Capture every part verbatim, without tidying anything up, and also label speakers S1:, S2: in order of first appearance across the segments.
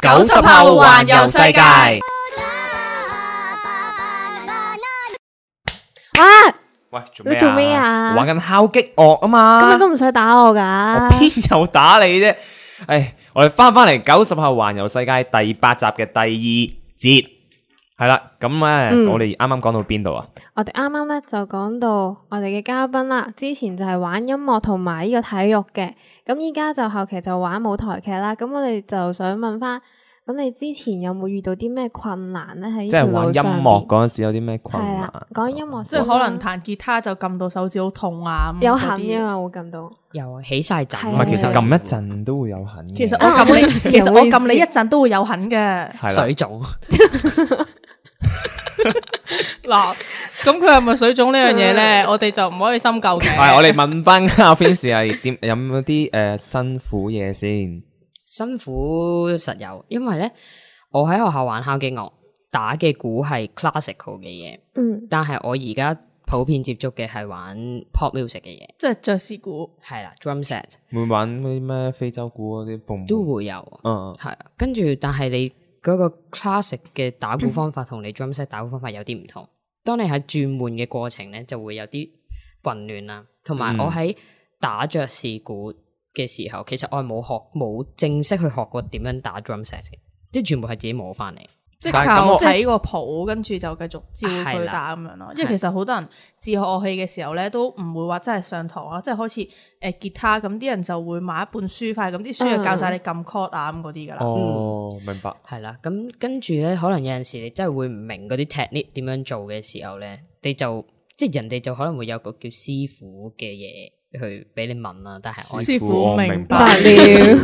S1: 九十後環遊世界。
S2: 哇！
S3: 喂，做咩啊？
S2: 你做咩啊？
S3: 玩緊敲擊樂啊嘛。
S2: 咁你都唔使打我噶。
S3: 我邊有打你啫？唉，我哋翻翻嚟九十後環遊世界第八集嘅第二節，係啦。咁咧，
S2: 嗯
S3: 我哋啱啱講到邊度啊？
S2: 我哋啱啱咧就講到我哋嘅嘉賓啦，之前就係玩音樂同埋呢個體育嘅，咁依家就後期就玩舞台劇啦。咁我哋就想問翻，咁你之前有冇遇到啲咩困難咧？喺呢條
S3: 即係玩音
S2: 路上
S3: 樂嗰陣時有啲咩困難？
S2: 係啦，講音樂
S4: 即係可能彈吉他就撳到手指好痛啊，咁
S2: 有
S4: 嗰啲
S2: 痕嘅嘛，會撳到。
S1: 又起晒陣，
S2: 係
S3: 唔係，其實
S2: 係
S3: 撳一陣都會有痕嘅。
S4: 其實我撳你，其實我撳你一陣都會有痕嘅。
S3: 係啦，
S1: 水腫。
S4: 嗱，咁佢係咪水腫呢樣嘢咧？我哋就唔可以深究嘅。
S3: 係我哋問翻阿 Vince 係點有冇啲誒辛苦嘢先？
S1: 辛苦實有，因為咧我喺學校玩敲擊樂，打嘅鼓係 classical 嘅嘢，
S2: 嗯，
S1: 但係我而家普遍接觸嘅係玩 pop music 嘅嘢，
S4: 即係爵士鼓，
S1: 係啦 drum set
S3: 會玩嗰啲咩非洲鼓嗰啲蹦
S1: 都會有，
S3: 嗯，
S1: 係啊，跟住但係你嗰個 classic 嘅打鼓方法同你 drum set 打鼓方法有啲唔同，當你喺轉換嘅過程咧就會有啲混亂啦，同埋我喺打爵士鼓嘅時候，其實我係冇學冇正式去學過點樣打 drum set 嘅，即係全部係自己摸翻嚟。
S4: 即係
S3: 但係咁我
S4: 靠睇個譜，跟住就繼續照佢打咁樣咯。因為其實好多人自學樂器嘅時候咧，都唔會話真係上堂啊，即係好似誒吉他咁，啲人就會買一本書塊，咁啲書就教晒你撳 chord 啊咁嗰啲噶啦。
S3: 哦，明白。
S1: 係啦，咁跟住咧，可能有陣時你真係會唔明嗰啲 technique 點樣做嘅時候咧，你就即係人哋就可能會有個叫師傅嘅嘢去俾你問啦，但係我
S4: 師傅
S3: 我
S4: 明白
S3: 明白
S2: 了。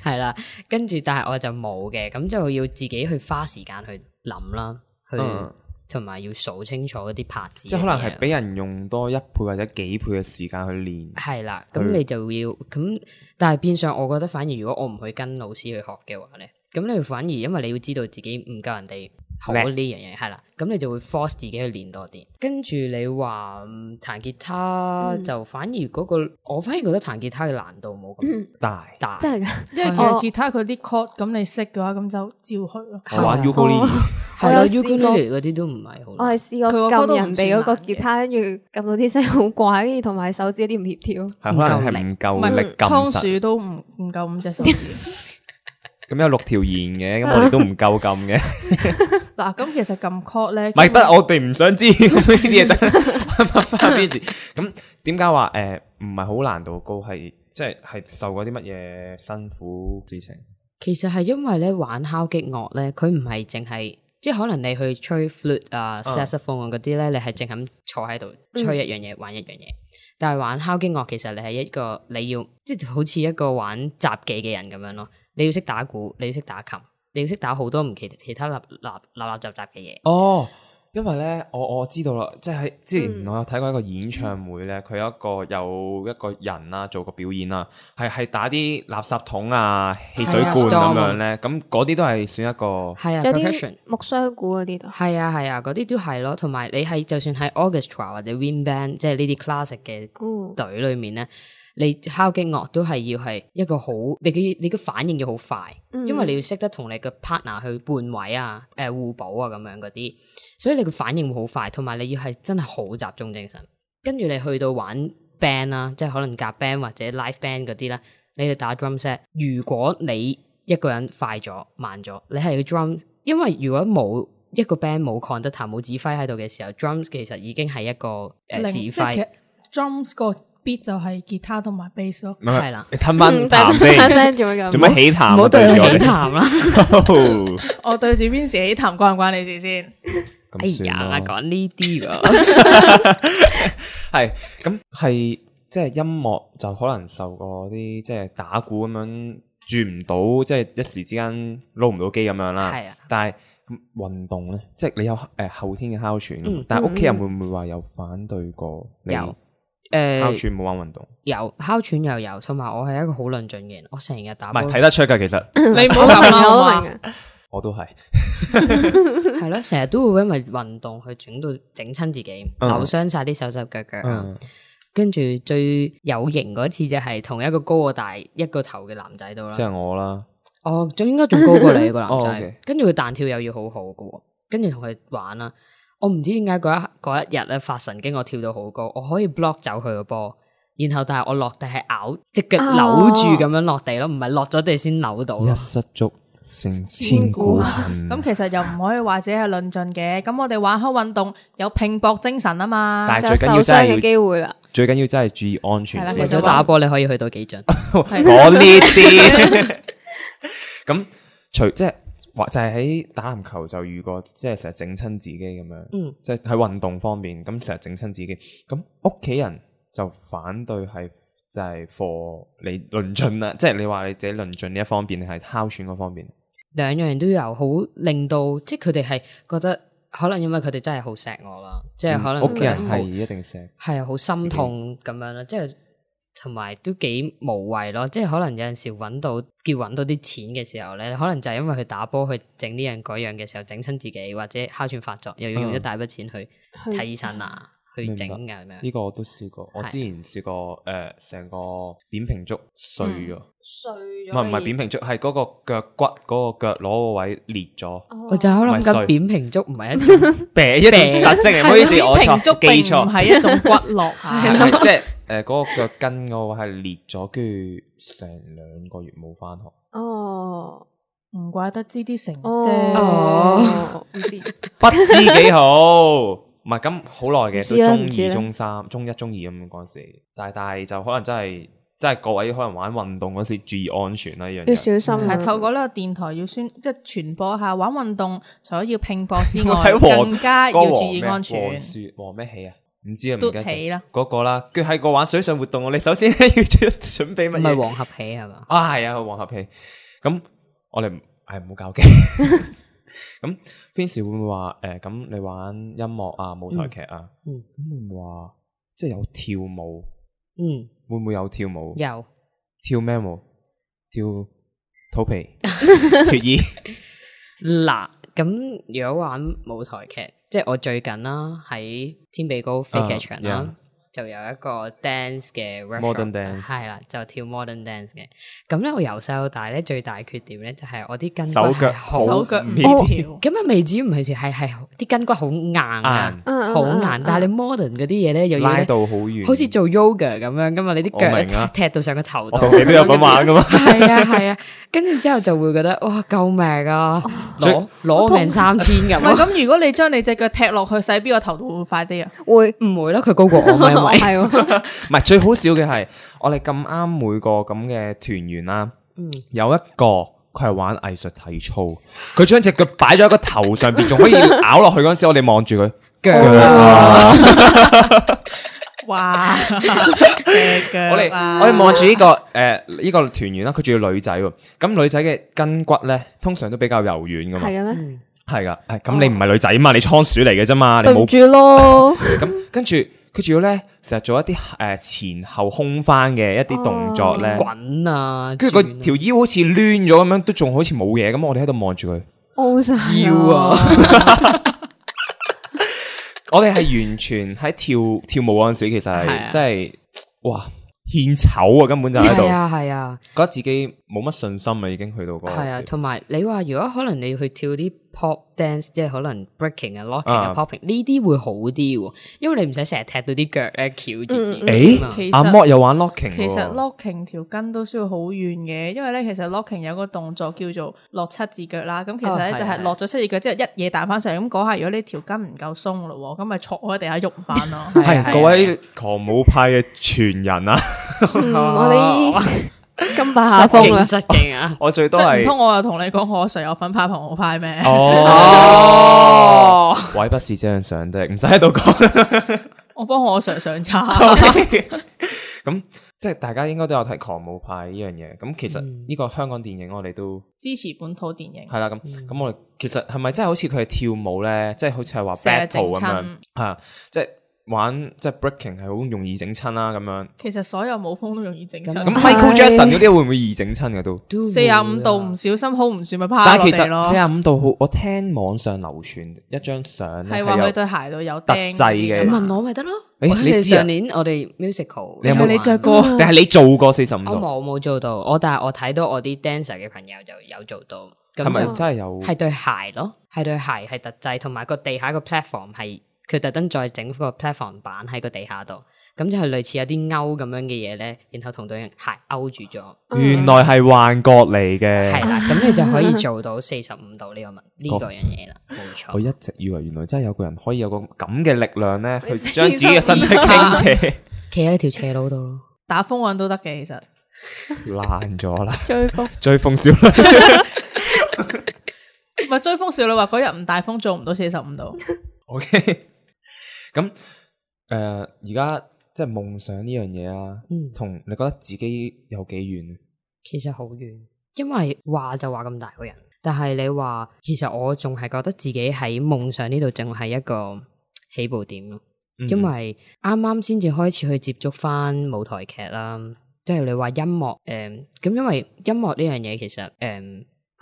S1: 係啦，跟住但係我就冇嘅，咁就要自己去花時間去諗啦，去
S3: 嗯
S1: 同埋要數清楚嗰啲拍子，
S3: 即係可能係俾人用多一倍或者幾倍嘅時間去練。
S1: 係啦，咁你就要咁，但係變相我覺得反而如果我唔去跟老師去學嘅話咧，咁你反而因為你要知道自己唔夠人哋好呢樣嘢，係啦，咁你就會 force 自己去練多啲。跟住你話彈吉他、
S2: 嗯、
S1: 就反而嗰、嗰個，我反而覺得彈吉他嘅難度冇咁
S3: 大
S1: 大，
S2: 真係㗎，
S4: 因為其實吉他佢啲 chord 咁你識嘅話，咁就照去咯。
S3: 我玩 ukulele，
S1: 係咯
S2: 我有試過
S1: ，ukulele 嗰啲都唔係好難。
S2: 我係試過
S4: 佢個歌都唔
S2: 撳人哋嗰個
S4: 算難嘅
S2: 吉他，跟住撳到啲聲好怪，跟住同埋手指有啲唔協調。
S3: 係可能係唔
S4: 唔
S3: 夠力
S4: 係倉
S3: 撳實。
S4: 鼠都唔唔夠五隻手指。
S3: 咁有六條弦嘅，咁我哋都唔夠撳嘅。
S4: 嗱，咁其實撳 chord 咧，
S3: 唔係得，我哋唔想知咁呢啲嘢得。翻邊時咁點解話誒唔係好難度高？係即係係受過啲乜嘢辛苦事情？
S1: 其實係因為咧玩敲擊樂咧，佢唔係淨係即係可能你去吹 flute 啊、saxophone 嗰啲咧，你係淨係咁坐喺度吹一樣嘢、玩一樣嘢。但係玩敲擊樂，其實你係一個你要即係好似一個玩雜技嘅人咁樣咯。你要識打鼓，你要識打琴，你要識打好多唔其其他立立立立雜雜嘅嘢。
S3: 哦，因為咧，我我知道啦，即係喺之前我有睇過一個演唱會咧，佢、嗯、有一個有一個人啦做個表演啦，係係打啲垃圾桶啊、汽水罐咁樣咧，咁嗰啲都係算一個
S1: 係啊，
S2: 有
S1: percussion
S2: 啲木箱鼓嗰啲都
S1: 係啊係啊，嗰啲都係咯。同埋你係就算喺 orchestra 或者 wind band，即係呢啲 classic 嘅隊裏面咧。你敲擊樂都係要係一個好，你嘅你嘅反應要好快，嗯、因為你要識得同你嘅 partner 去換位啊、誒、呃、互補啊咁樣嗰啲，所以你嘅反應會好快，同埋你要係真係好集中精神。跟住你去到玩 band 啦、啊，即係可能夾 band 或者 live band 嗰啲咧，你去打 drum set。如果你一個人快咗、慢咗，你係個 drum， 因為如果冇一個 band 冇 conductor 冇指揮喺度嘅時候 ，drums 其實已經係一個誒、呃、指揮。
S4: drums 個 beat 就係吉他同埋 bass 咯，
S1: 係啦，
S3: 你吞翻啖先，做乜咁？做乜起痰？
S1: 唔好對佢起痰啦！
S4: 我對住邊時起痰關唔關你事先？
S1: 哎呀，講呢啲喎，
S3: 係咁係即係音樂就可能受過啲即係打鼓咁樣轉唔到，即係一時之間撈唔到機咁樣啦。係啊，但係運動咧，即係你有誒、呃、後天嘅哮喘，嗯、但係屋企人會唔會話有反對過你？
S1: 有。誒，哮
S3: 喘冇玩運動，
S1: 有哮喘又有，同埋我係一個好論盡嘅人，我成日打波，
S3: 唔係睇得出噶，其實
S4: 你唔好咁啦，
S3: 我都係，
S1: 係咯，成日都會因為運動去整到整親自己，扭傷晒啲手手腳腳啊。跟住最有型嗰次就係同一個高我大一個頭嘅男仔度啦，
S3: 即係我啦。
S1: 哦，仲應該仲高過你個男仔。
S3: 哦 okay.
S1: 跟住佢彈跳又要好好嘅，跟住同佢玩啦。我唔知點解嗰一嗰一日咧發神經，我跳到好高，我可以 block 走佢個波，然後但係我落地係咬隻腳扭住咁樣落地咯，唔係落咗地先扭到。
S3: 一失足成千古恨。
S4: 咁其實又唔可以話自己係論盡嘅。咁我哋玩開運動有拼搏精神啊嘛，
S3: 但係最緊要真係
S2: 嘅機會啦。
S3: 最緊要真係注意安全。
S1: 為咗打波你可以去到幾盡？
S3: 我呢啲咁除即係或就係喺打籃球就遇過，即係成日整親自己咁樣。嗯，即係喺運動方面咁成日整親自己。咁屋企人就反對係就係 for 你論盡啦，即係你話你自己論盡呢一方面，定係哮喘嗰方面？兩
S1: 樣都有，好令到即係佢哋係覺得。可能因為佢哋真係好錫我啦，即係可能
S3: 屋企人係一定錫，
S1: 係啊，好心痛咁樣啦，即係同埋都幾無謂咯，即係可能有陣時揾到叫揾到啲錢嘅時候咧，可能就係因為佢打波去整呢樣嗰樣嘅時候整親自己，或者哮喘發作，又要用一大筆錢去睇醫生啊，嗯、去整㗎咁樣。
S3: 呢個我都試過，我之前試過誒，成個扁平足碎咗。嗯
S2: 碎咗，
S3: 唔係唔係扁平足，係嗰個腳骨嗰、嗰個腳攞個位裂咗。哦、
S1: 我就喺度諗緊扁平足唔係一啲
S3: 病一啲特徵，唔好意思，我錯記錯，
S4: 唔係一種骨落啊，
S3: 即係誒嗰個腳筋嗰個係裂咗，跟住成兩個月冇翻學。
S2: 哦，
S4: 唔怪得知啲成績，
S2: 哦，唔知
S3: 不知幾好，唔係咁好耐嘅，都中二、中三、中一、中二咁嗰陣時，就係但係就可能真係。即係各位可能玩運動嗰時注意安全啦，呢樣嘢
S2: 要小心。係
S4: 透過呢個電台要宣，即係傳播下玩運動除咗要拼搏之外，更加要注意安全。
S3: 黃雪黃咩起啊？唔知啊，唔記得。
S4: 起啦，
S3: 嗰個啦，跟住喺個玩水上活動，我哋首先咧要準備乜嘢？
S1: 唔係黃合起係嘛？
S3: 啊係啊，黃合起。咁我哋係唔好搞基。咁平時會唔會話誒？咁你玩音樂啊、舞台劇啊，嗯，咁會唔會話即係有跳舞？嗯。會唔會有跳舞？
S1: 有
S3: 跳咩舞？跳肚皮脫衣。
S1: 嗱，咁如果玩舞台劇，即係我最近啦喺天比高飛劇場啦。Uh, yeah. 就有一個 dance 嘅
S3: modern dance
S1: 係啦，就跳 modern dance 嘅。咁咧，我由細到大咧最大缺點咧就係我啲筋骨
S3: 手腳
S1: 好
S4: 手腳唔協調。
S1: 咁啊，未至於唔係係係啲筋骨好硬啊，好硬。但係你 modern 嗰啲嘢咧又要
S3: 拉到好遠，
S1: 好似做 yoga 咁樣噶嘛，你啲腳踢到上個頭度。
S3: 我同你都有份玩噶嘛。
S1: 係啊係啊，跟住之後就會覺得哇救命啊，攞攞命三千咁。
S4: 唔係咁，如果你將你隻腳踢落去洗邊個頭度會快啲啊？
S1: 會唔會咧？佢高過我咪因為係。
S3: 唔係最好笑嘅係，我哋咁啱每個咁嘅團員啦，嗯、有一個佢係玩藝術體操，佢將隻腳擺咗喺個頭上邊，仲可以咬落去嗰陣時，我哋望住佢腳啊！
S4: 哇！
S3: 我哋我哋望住呢個誒呢、呃這個團員啦，佢仲要女仔喎，咁女仔嘅筋骨咧通常都比較柔軟噶嘛，
S2: 係嘅咩？
S3: 係噶，誒咁你唔係女仔嘛，你倉鼠嚟嘅啫嘛，你冇
S2: 住咯。
S3: 咁跟住。佢仲要咧，成日做一啲誒、呃、前後空翻嘅一啲動作咧，
S1: 滾啊！
S3: 跟住個條腰好似攣咗咁樣，都仲好似冇嘢咁。我哋喺度望住佢，
S2: 凹晒
S1: 腰啊！
S3: 我哋係完全喺跳跳舞嗰陣時，其實係真係哇獻醜啊！根本就喺度，
S1: 係啊係啊，
S3: 覺得自己冇乜信心啊，已經去到嗰個。係
S1: 啊，同埋你話如果可能你要去跳啲 pop dance， 即係可能 breaking 啊、locking 啊、popping 呢啲會好啲，因為你唔使成日踢到啲腳咧翹住自己。
S3: 誒，阿 Mo 又玩 locking，
S4: 其實 locking 條筋都需要好遠嘅，因為咧其實 locking 有個動作叫做落七字腳啦。咁其實咧就係落咗七字腳之後一嘢彈翻上嚟，咁嗰下如果你條筋唔夠鬆咯，咁咪坐喺地下喐唔翻咯。
S3: 係各位狂舞派嘅傳人啊！
S2: 我哋金霸下風啊，
S1: 失敬啊！
S3: 我最多係
S4: 唔通我又同你講我誰有份派狂舞派咩？
S3: 哦，位不是這樣想的，唔使喺度講。
S4: 我幫我誰上叉。
S3: 咁即係大家應該都有睇狂舞派呢樣嘢。咁其實呢個香港電影我哋都
S4: 支持本土電影。
S3: 係啦，咁咁我哋其實係咪真係好似佢係跳舞咧？即係好似係話 battle 咁樣啊？即係玩即係 breaking 係好容易整親啦咁樣。
S4: 其實所有舞風都容易整親。
S3: 咁 Michael Jackson 嗰啲會唔會易整親嘅都？
S4: 四十五度唔小心 hold 唔住咪趴
S3: 但係其
S4: 落地咯。
S3: 實四十五度好，我聽網上流傳一張相
S4: 係話佢對鞋度有
S3: 特
S4: 釘
S3: 製嘅。
S1: 你問我咪得咯。
S3: 誒，
S1: 你
S3: 你知啊
S1: 上年我哋 musical，
S3: 你有冇
S4: 你着過？
S3: 定係你做過四十五度？
S1: 我冇冇做到，我但係我睇到我啲 dancer 嘅朋友就有做到。
S3: 係咪
S1: 就
S3: 真係有？
S1: 係對鞋咯，係對鞋係特製，同埋個地下個 platform 係佢特登再整個 platform 板喺個地下度，咁就係類似有啲勾咁樣嘅嘢咧，然後同對鞋勾住咗。
S3: 原來係幻覺嚟嘅。
S1: 係啦，咁你就可以做到四十五度呢個問呢個樣嘢啦，冇錯。
S3: 我一直以為原來真係有個人可以有個咁嘅力量咧，去將自己嘅身體傾斜，
S1: 企喺條斜路度咯，
S4: 打風運都得嘅，其實
S3: 爛咗啦。
S2: 追風
S3: 追風少女。
S4: 唔係追風少女話嗰日唔大風做唔到四十五度。
S3: OK，咁誒而家即係夢想呢樣嘢啊，同、嗯、你覺得自己有幾遠？
S1: 其實好遠，因為話就話咁大個人，但係你話其實我仲係覺得自己喺夢想呢度淨係一個起步點咯，嗯、因為啱啱先至開始去接觸翻舞台劇啦，即係你話音樂誒，咁、呃、因為音樂呢樣嘢其實誒。呃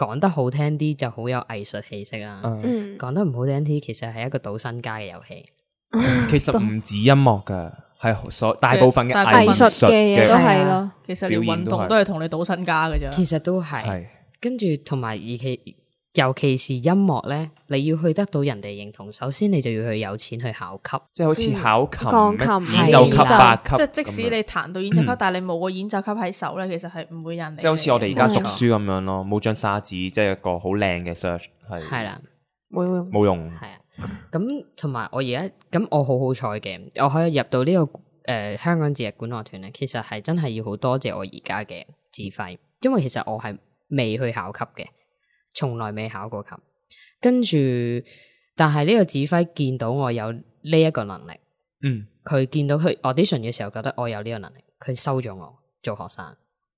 S1: 講得好聽啲就好有藝術氣息啦，嗯、講得唔好聽啲，其實係一個賭身家嘅遊戲。
S3: 其實唔止音樂噶，係所大部分嘅藝術嘅
S2: 嘢都係咯。
S4: 其實連運動都係同你賭身家嘅啫。
S1: 其實都係，是跟住同埋而其尤其是音樂咧，你要去得到人哋認同，首先你就要去有錢去考級，
S3: 即係好似考琴、
S2: 鋼琴、
S3: 演奏級、八級，
S4: 即係即使你彈到演奏級，但係你冇個演奏級喺手咧，其實係唔會有人。
S3: 即係好似我哋而家讀書咁樣咯，冇張沙紙，即係一個好靚嘅 search 係
S1: 係啦，
S2: 冇用，
S3: 冇用。
S1: 係啊，咁同埋我而家咁我好好彩嘅，我可以入到呢個誒香港節日管樂團咧，其實係真係要好多謝我而家嘅指揮，因為其實我係未去考級嘅，從來未考過級。跟住，但係呢個指揮見到我有呢一個能力，嗯，佢見到佢 audition 嘅時候覺得我有呢個能力，佢收咗我做學生，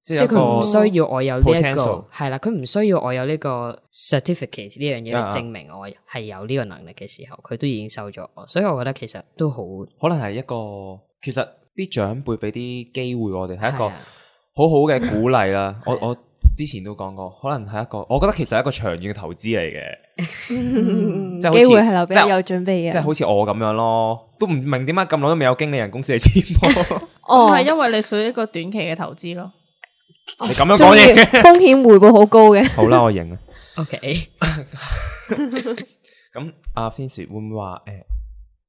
S1: 即係佢唔需要我有呢、這、一個係啦，佢唔需要我有呢個 certificate 呢樣嘢去證明我係有呢個能力嘅時候，佢都已經收咗我，所以我覺得其實都好，
S3: 可能係一個其實啲長輩俾啲機會我哋係一個好好嘅鼓勵啦，我我。之前都講過，可能係一個，我覺得其實係一個長遠嘅投資嚟嘅，即係機會係留俾有準備嘅，即係好似我咁樣咯，都唔明點解咁耐都未有經理人公司嚟簽我，
S4: 哦，係因為你屬於一個短期嘅投資咯。
S3: 你咁樣講嘢，
S2: 風險回報好高嘅。
S3: 好啦，我認啊。
S1: OK，
S3: 咁阿 Finch 會唔會話誒，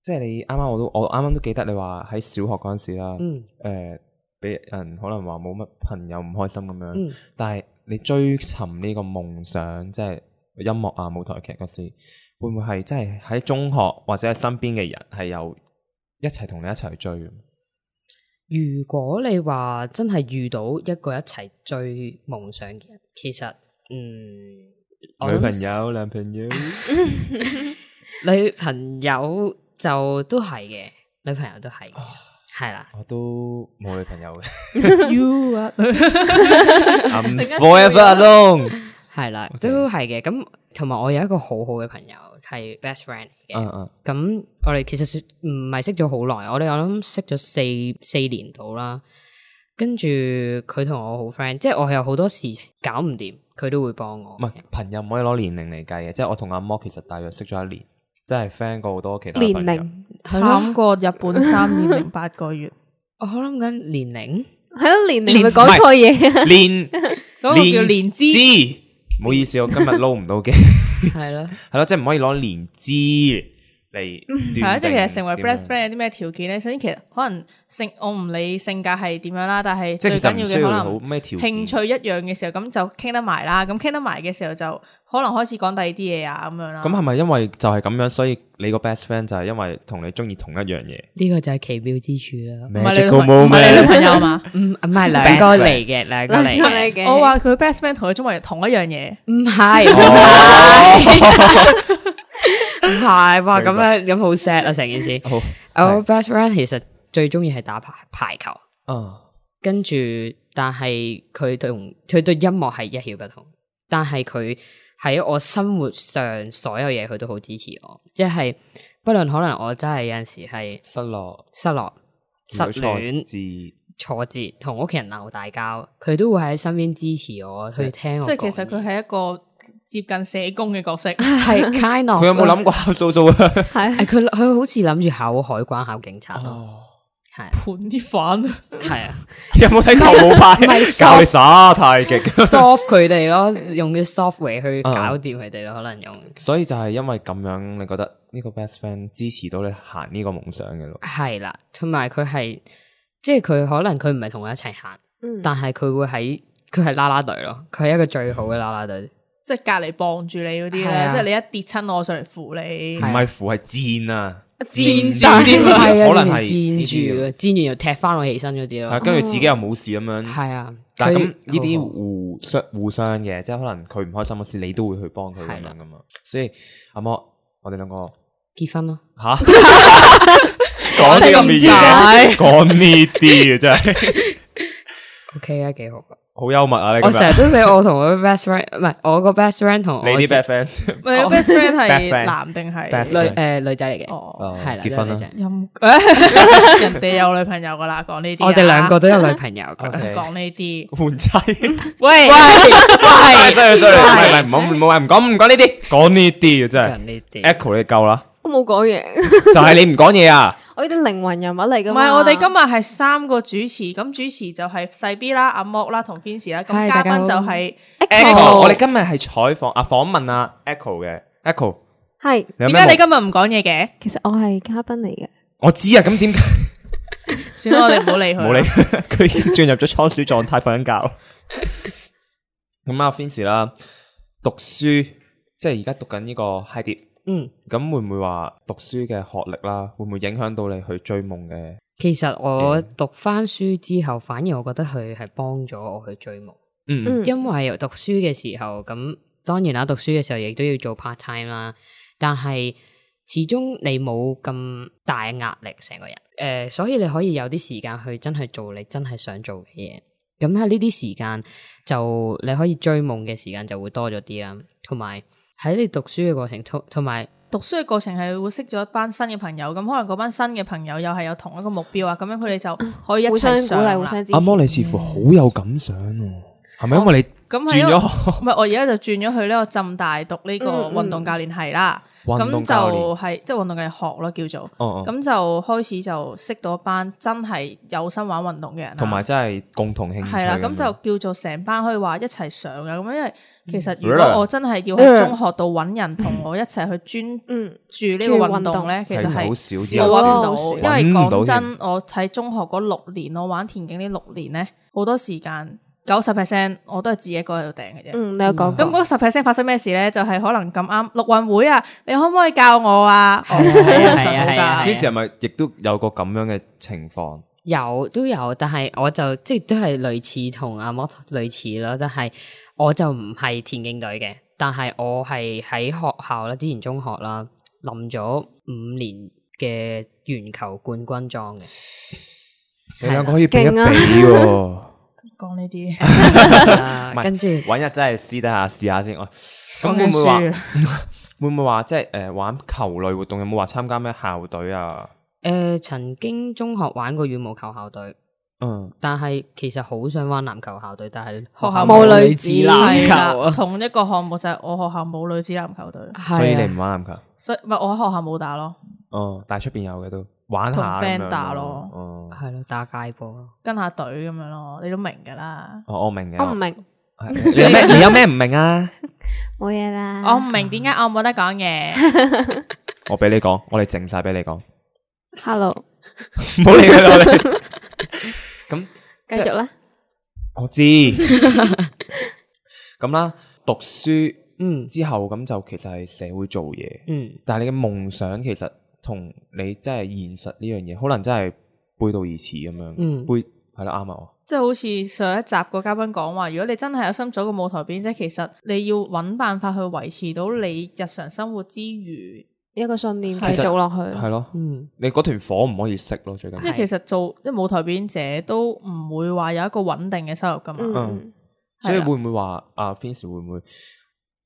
S3: 即係你啱啱我都我啱啱都記得你話喺小學嗰陣時啦，嗯，誒，俾人可能話冇乜朋友唔開心咁樣，嗯，但係。你追尋呢個夢想，即係音樂啊、舞台劇嗰時，會唔會係真係喺中學或者係身邊嘅人係有一齊同你一齊去追？
S1: 如果你話真係遇到一個一齊追夢想嘅人，其實嗯，
S3: 女朋友、男朋友、
S1: 女朋友就都係嘅，女朋友都係。係啦，
S3: 我都冇女朋友嘅。
S4: You are
S3: I'm forever alone。
S1: 係啦，都係嘅。咁同埋我有一個好好嘅朋友係 best friend 嘅。嗯嗯。咁我哋其實唔係識咗好耐，我哋我諗識咗四四年到啦。跟住佢同我好 friend，即係我係有好多事情搞唔掂，佢都會幫我。
S3: 唔係朋友唔可以攞年齡嚟計嘅，即係我同阿摩其實大約識咗一年。真係 friend 過好多其他朋友，
S2: 年齡
S4: 慘過日本三年零八個月。
S1: 我諗緊年齡，
S2: 係咯，年齡咪講錯嘢。
S3: 年
S4: 嗰個叫年資，
S3: 唔好意思，我今日撈唔到嘅。
S1: 係咯，
S3: 係咯，即係唔可以攞年資嚟。
S4: 係啊，即係其實成為 best friend 有啲咩條件咧？首先，其實可能性，我唔理性格係點樣啦，但係最緊要嘅可能興趣一樣嘅時候，咁就傾得埋啦。咁傾得埋嘅時候就。可能開始講第二啲嘢啊，咁樣啦。咁
S3: 係咪因為就係咁樣，所以你個 best friend 就係因為同你中意同一樣嘢？
S1: 呢個就係奇妙之處啦。
S4: 唔係你唔係你女朋友嘛？唔唔
S1: 係兩個嚟嘅，兩個嚟嘅。
S4: 我話佢 best friend 同佢中意同一樣嘢，
S1: 唔係唔係唔係，哇咁樣咁好 sad 啊成件事。好，我 best friend 其實最中意係打排排球。嗯，跟住但係佢同佢對音樂係一竅不通，但係佢。喺我生活上所有嘢佢都好支持我，即係不論可能我真係有陣時係
S3: 失落、
S1: 失落、失戀、挫折，同屋企人鬧大交，佢都會喺身邊支持我，去聽我講。
S4: 即係其實佢係一個接近社工嘅角色，
S1: 係 kind of。
S3: 佢有冇諗過考數數啊？
S2: 係
S1: 佢佢好似諗住考海關、考警察咯。
S3: 哦
S1: 係
S4: 盤啲飯啊，
S1: 係啊，
S3: 有冇睇球舞派？
S1: 唔係
S3: 教你耍太極
S1: ，soft 佢哋咯，用啲 software 去搞掂佢哋咯，可能用。
S3: 所以就係因為咁樣，你覺得呢個 best friend 支持到你行呢個夢想嘅路？
S1: 係啦，同埋佢係，即係佢可能佢唔係同我一齊行，
S2: 嗯、
S1: 但係佢會喺，佢係啦啦隊咯，佢係一個最好嘅啦啦隊。
S4: 即係隔籬傍住你嗰啲咧，
S1: 啊、
S4: 即係你一跌親我上嚟扶你，
S3: 唔係扶係戰啊！
S4: 戰
S1: 住啲，係啊，
S3: 可能係
S1: 戰住啊，戰完又踢翻我起身嗰啲咯。
S3: 係，跟住自己又冇事咁樣。
S1: 係啊，
S3: 但係咁呢啲互相互相嘅，即係可能佢唔開心嘅事，你都會去幫佢咁樣噶嘛。所以阿摩，我哋兩個
S1: 結婚咯。
S3: 吓，講啲咁嘅嘢，講呢啲嘅真係。
S1: O K 啊，幾好噶。
S3: 好幽默啊！你
S1: 我成日都俾我同我 best friend， 唔係我個 best friend 同我
S3: 你啲 best friend，
S4: 唔係 best friend 係男定係
S1: 女誒女仔嚟嘅？
S4: 哦，
S1: 係啦，
S3: 結婚啦，
S4: 陰人哋有女朋友噶啦，講呢啲。
S1: 我哋兩個都有女朋友，
S4: 講呢啲
S3: 換妻。
S4: 喂喂
S3: 喂，sorry sorry，唔係唔係，唔好唔好唔講唔講呢啲，講呢啲嘅真係。
S1: 呢啲
S3: Echo 你夠啦，
S2: 我冇講嘢，
S3: 就係你唔講嘢啊！
S2: 我呢啲靈魂人物嚟噶
S4: 唔
S2: 嘛。
S4: 係我哋今日係三個主持，咁主持就係細 B 啦、阿莫啦同 Vincy 啦，咁嘉賓就係
S3: Echo。我哋今日係採訪啊訪問啊 Echo 嘅 Echo。
S2: 係
S4: 點解你今日唔講嘢嘅？
S2: 其實我係嘉賓嚟嘅。
S3: 我知啊，咁點解？
S4: 算啦，我哋唔好理佢。
S3: 冇理佢，佢進入咗倉鼠狀態，瞓緊覺。咁啊 Vincy 啦，讀書即係而家讀緊呢個 High Dip。
S1: 嗯，
S3: 咁會唔會話讀書嘅學歷啦，會唔會影響到你去追夢嘅？
S1: 其實我讀翻書之後，反而我覺得佢係幫咗我去追夢。
S3: 嗯，
S1: 因為讀書嘅時候，咁當然啦，讀書嘅時候亦都要做 part time 啦。但係始終你冇咁大壓力，成個人誒、呃，所以你可以有啲時間去真係做你真係想做嘅嘢。咁喺呢啲時間，就你可以追夢嘅時間就會多咗啲啦，同埋。喺你讀書嘅過程，同同埋
S4: 讀書嘅過程係會識咗一班新嘅朋友，咁可能嗰班新嘅朋友又係有同一個目標啊，咁樣佢哋就可以一齊上啦。
S2: 互相支持。
S3: 阿摩你似乎好有感想喎，係咪因為你轉咗？
S4: 唔係，我而家就轉咗去呢個浸大讀呢個運動教練系啦。咁就係即係運動嘅學咯，叫做。哦咁就開始就識到一班真係有心玩運動嘅人，
S3: 同埋真係共同興趣。
S4: 係啦，咁就叫做成班可以話一齊上啊，咁樣因為。其實如果我真係要喺中學度揾人同我一齊去專注呢個運動咧，其實係
S3: 好少，
S4: 我揾唔到。因為講真，我喺中學嗰六年，我玩田徑呢六年咧，好多時間九十 percent 我都係自己一個喺度掟嘅啫。
S2: 嗯，你有講。
S4: 咁嗰十 percent 發生咩事咧？就係可能咁啱陸運會啊，你可唔可以教我啊？係啊係啊係啊！
S3: 呢時係咪亦都有個咁樣嘅情況？
S1: 有都有，但係我就即係都係類似同阿莫類似咯，但係。我就唔係田徑隊嘅，但係我係喺學校啦，之前中學啦，冧咗五年嘅鉛球冠軍裝嘅。
S3: 你兩個可以比一比喎。
S4: 講呢啲，
S1: 跟住
S3: 揾日真係試得下試下先。咁會唔會話會唔會話即係誒玩球類活動有冇話參加咩校隊啊？
S1: 誒、呃，曾經中學玩過羽毛球校隊。嗯，但係其實好想玩籃球校隊，但係學校冇女子籃球啊。
S4: 同一個項目就係我學校冇女子籃球隊，
S3: 所以你唔玩籃球。
S4: 所以唔係我喺學校冇打咯。
S3: 哦，但係出邊有嘅都玩下咁樣。
S4: 同 friend 打咯，
S3: 哦，
S1: 係咯，打街波咯，
S4: 跟下隊咁樣咯，你都明噶啦。
S3: 哦，我明嘅。
S2: 我唔明。
S3: 你有咩？你有咩唔明啊？
S2: 冇嘢啦。
S4: 我唔明點解我冇得講嘢。
S3: 我俾你講，我哋靜晒俾你講。
S2: Hello，
S3: 唔好理佢啦，我哋。咁。
S2: 繼續啦，
S3: 我知咁啦。讀書嗯之後咁就其實係社會做嘢嗯，但係你嘅夢想其實同你真係現實呢樣嘢，可能真係背道而馳咁樣。嗯，背係啦，啱啊。即係
S4: 好似上一集個嘉賓講話，如果你真係有心做個舞台表演，即係其實你要揾辦法去維持到你日常生活之餘。
S2: 一個信念繼續落去，
S3: 係咯，嗯，你嗰團火唔可以熄咯，最緊要。
S4: 即係其實做即係舞台表演者都唔會話有一個穩定嘅收入噶嘛，嗯，
S3: 嗯所以會唔會話阿 Vincy 會唔會，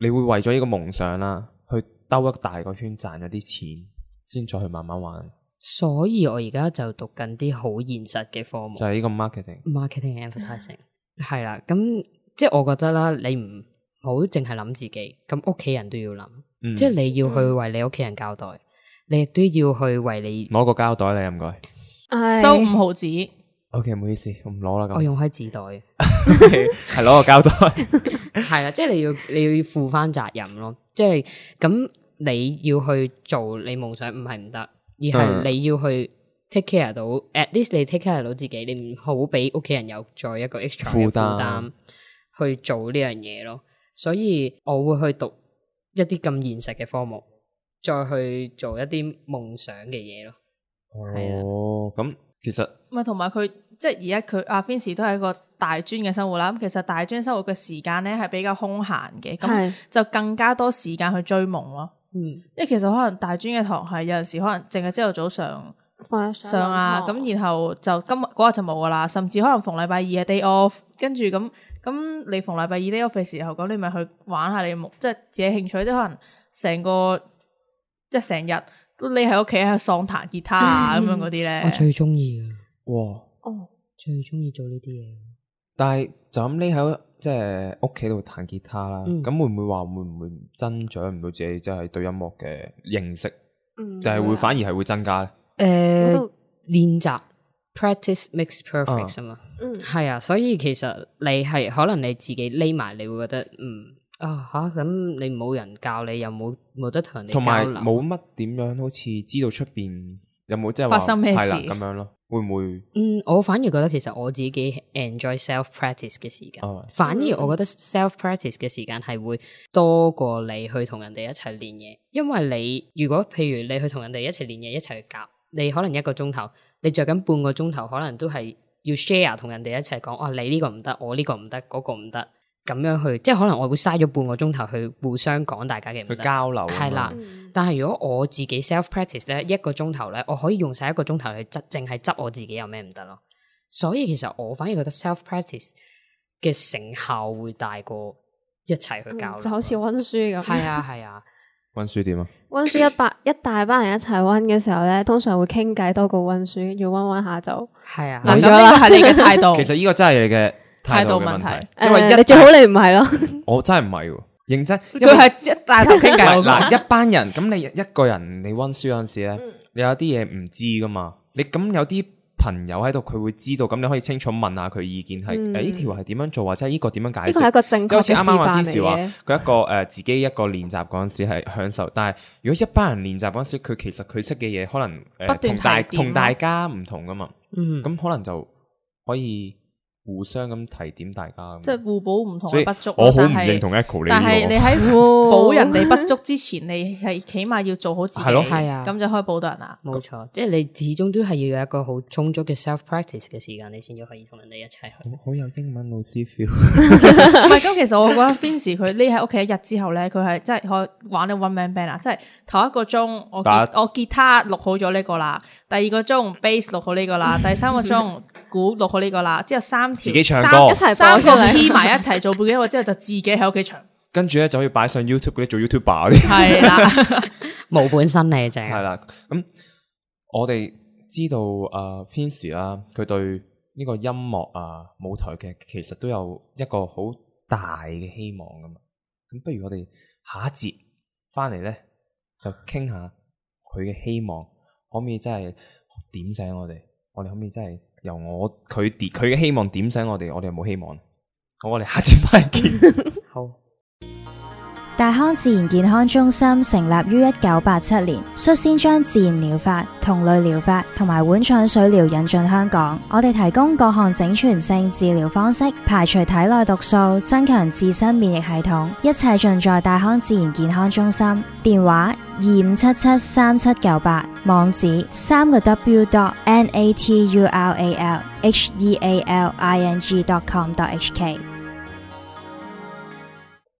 S3: 你會為咗呢個夢想啦，去兜一大個圈賺咗啲錢，先再去慢慢玩。
S1: 所以我而家就讀緊啲好現實嘅科目，
S3: 就係呢個 marketing、marketing
S1: and advertising 係啦。咁即係我覺得啦，你唔好淨係諗自己，咁屋企人都要諗，嗯、即係你要去為你屋企人交代，嗯、你亦都要去為你
S3: 攞個膠袋你唔該，
S4: 收五毫紙。
S3: OK， 唔好意思，我唔攞啦。
S1: 我用開紙袋，
S3: 係攞個膠袋，
S1: 係啦，即係你要你要負翻責任咯。即係咁你要去做你夢想，唔係唔得，而係你要去 take care 到、嗯、，at least 你 take care 到自己，你唔好俾屋企人有再一個 extra 嘅負擔去做呢樣嘢咯。所以我會去讀一啲咁現實嘅科目，再去做一啲夢想嘅嘢咯。
S3: 哦，咁其實
S4: 唔係，同埋佢即係而家佢阿 Vincy 都係一個大專嘅生活啦。咁其實大專生活嘅時間咧係比較空閒嘅，咁就更加多時間去追夢咯。嗯，因為其實可能大專嘅堂係有陣時可能淨係朝頭早上上啊，咁然後就今日嗰日就冇噶啦，甚至可能逢禮拜二嘅 day off， 跟住咁咁你逢禮拜二 day off 嘅時候，咁你咪去玩下你嘅夢，即係自己興趣，即係可能成個即係成日。都匿喺屋企喺度喪彈吉他啊咁樣嗰啲咧，
S1: 我最中意啊！
S3: 哇，
S1: 哦，最中意做呢啲嘢。
S3: 但係就咁匿喺即係屋企度彈吉他啦，咁、嗯、會唔會話會唔會增長唔到自己即係對音樂嘅認識？嗯，定係會反而係會增加咧？
S1: 誒、呃，練習 practice makes perfect 啊嘛，嗯，係啊，所以其實你係可能你自己匿埋，你會覺得嗯。啊吓，咁你冇人教你，又冇冇得同人哋交流，同埋
S3: 冇乜點樣好似知道出邊有冇即係
S4: 發生咩事
S3: 咁樣咯？會唔會？
S1: 嗯，我反而覺得其實我自己 enjoy self practice 嘅時間，哦、反而我覺得 self practice 嘅時間係會多過你去同人哋一齊練嘢，因為你如果譬如你去同人哋一齊練嘢，一齊去夾，你可能一個鐘頭，你着緊半個鐘頭，可能都係要 share 同人哋一齊講，哦，你呢個唔得，我呢個唔得，嗰個唔得。咁樣去，即係可能我會嘥咗半個鐘頭去互相講大家嘅唔得，
S3: 去交流
S1: 係啦。嗯、但係如果我自己 self practice 咧，一個鐘頭咧，我可以用晒一個鐘頭去執，淨係執我自己有咩唔得咯。所以其實我反而覺得 self practice 嘅成效會大過一齊去交流、嗯，
S2: 就好似溫書咁。
S1: 係啊係啊，
S3: 溫書點啊？
S2: 溫書一百一大班人一齊溫嘅時候咧，通常會傾偈多過溫書，要溫溫下就
S1: 係啊。
S4: 嗱，咁呢個係你嘅態度。
S3: 其實呢個真係你嘅態度問題，
S2: 因為你最好你唔係咯，
S3: 我真係唔係喎，認真。
S4: 佢係一大頭傾偈。
S3: 嗱，一班人咁，你一個人你溫書嗰陣時咧，你有啲嘢唔知噶嘛？你咁有啲朋友喺度，佢會知道，咁你可以清楚問下佢意見，係誒呢條係點樣做，或者係呢個點樣解釋？呢個
S2: 係一個正確嘅示範嚟嘅。即係好似啱啱話Vincy話，
S3: 佢一個誒自己一個練習嗰陣時係享受，但係如果一班人練習嗰陣時，佢其實佢識嘅嘢可能誒同大同大家唔同噶嘛，嗯，咁可能就可以。互相咁提點大家，
S4: 即係互補唔同嘅不足。
S3: 我好唔認同 Echo 呢個。
S4: 但係你喺補人哋不足之前，你係起碼要做好自己。
S3: 係咯，
S1: 係啊，
S4: 咁就可以補到人啦。
S1: 冇錯，即係你始終都係要有一個好充足嘅 self practice 嘅時間，你先至可以同人哋一齊去。
S3: 好有英文老師 feel。
S4: 唔係，咁其實我覺得 Vincy 佢匿喺屋企一日之後咧，佢係真係可以玩到 one man band 啊！即係頭一個鐘我我吉他錄好咗呢個啦，第二個鐘 bass 錄好呢個啦，第三個鐘鼓錄好呢個啦，之後三條
S3: 自己唱歌，
S4: 一齊三個 key 埋一齊做背景音樂之後，就自己喺屋企唱。
S3: 跟住咧就可以擺上 YouTube 嗰啲做 YouTuber 嗰啲。
S4: 係啦，
S1: 冇本身嚟正。
S3: 係啦，咁我哋知道啊 Vincy 啦，佢對呢個音樂啊舞台劇其實都有一個好大嘅希望噶嘛。咁不如我哋下一節翻嚟咧，就傾下佢嘅希望，可唔可以真係點醒我哋？我哋可唔可以真係？由我佢點佢嘅希望點醒我哋，我哋有冇希望？好，我哋下次翻嚟見。好。
S5: 大康自然健康中心成立於一九八七年，率先將自然療法、同類療法同埋碗廠水療引進香港。我哋提供各項整全性治療方式，排除體內毒素，增強自身免疫系統，一切盡在大康自然健康中心。電話二五七七三七九八，網址三個 w dot n a t u r a l h e a l i n g dot com dot h k。